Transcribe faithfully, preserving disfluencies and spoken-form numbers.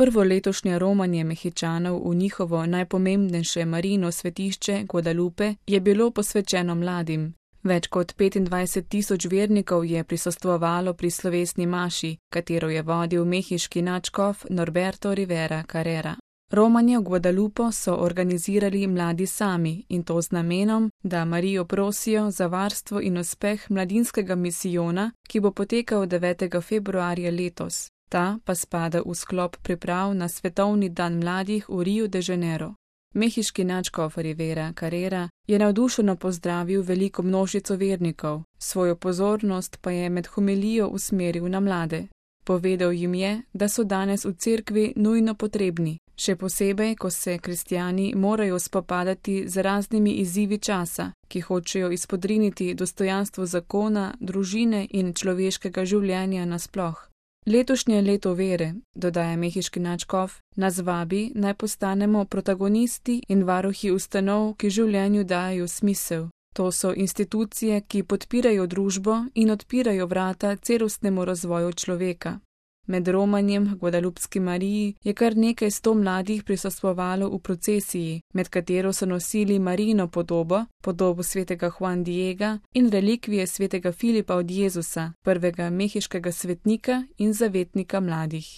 Prvo letošnje romanje Mehičanov v njihovo najpomembnejše Marijino svetišče Guadalupe je bilo posvečeno mladim. Več kot petindvajset tisoč vernikov je prisostvovalo pri slovesni maši, katero je vodil mehiški nadškof Norberto Rivera Carrera. Romanje v Guadalupo so organizirali mladi sami in to z namenom, da Marijo prosijo za varstvo in uspeh mladinskega misijona, ki bo potekal devetega februarja letos. Ta pa spada v sklop priprav na Svetovni dan mladih v Riu de Janeiro. Mehiški nadškof Rivera Carrera je navdušeno pozdravil veliko množico vernikov, svojo pozornost pa je med homilijo usmeril na mlade. Povedal jim je, da so danes v cerkvi nujno potrebni, še posebej, ko se kristjani morajo spopadati z raznimi izzivi časa, ki hočejo izpodriniti dostojanstvo zakona, družine in človeškega življenja nasploh. Letošnje leto vere, dodaja mehiški nadškof, nas vabi, naj postanemo protagonisti in varuhi ustanov, ki življenju dajo smisel. To so institucije, ki podpirajo družbo in odpirajo vrata celostnemu razvoju človeka. Med romanjem Guadalupski Mariji je kar nekaj sto mladih prisostvovalo v procesiji, med katero so nosili Marijino podobo, podobo svetega Juan Diega in relikvije svetega Filipa od Jezusa, prvega mehiškega svetnika in zavetnika mladih.